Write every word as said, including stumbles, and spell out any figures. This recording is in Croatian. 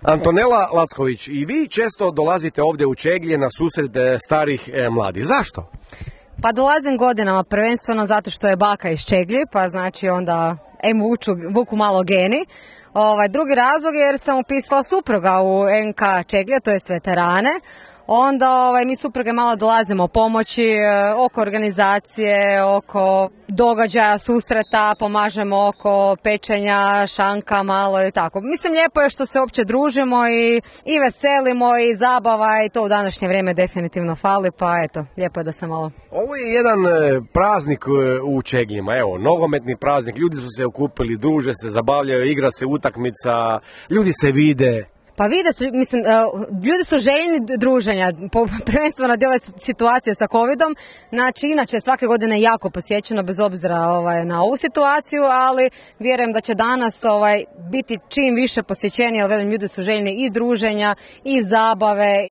Antonela Lacković, i vi često dolazite ovdje u Čeglje na susret starih e, mladih. Zašto? Pa dolazim godinama prvenstveno zato što je baka iz Čeglji, pa znači onda em vuču, vuku malo geni. Ovaj, drugi razlog je jer sam upisala supruga u en ka Čeglje, to je veterane. Onda ovaj, mi supruge malo dolazimo pomoći e, oko organizacije, oko događaja, susreta, pomažemo oko pečenja, šanka malo i tako. Mislim, lijepo je što se uopće družimo i, i veselimo i zabava i to u današnje vrijeme definitivno fali, pa eto, lijepo je da se malo... Ovo je jedan e, praznik e, u Čegljima, evo, nogometni praznik, ljudi su se okupili, druže se, zabavljaju, igra se utakmica, ljudi se vide. Pa vide se, mislim, ljudi su željni druženja, prvenstveno dio ove situacije sa covidom, znači inače svake godine jako posjećeno bez obzira ovaj, na ovu situaciju, ali vjerujem da će danas ovaj, biti čim više posjećeni, jer velim, ljudi su željni i druženja i zabave.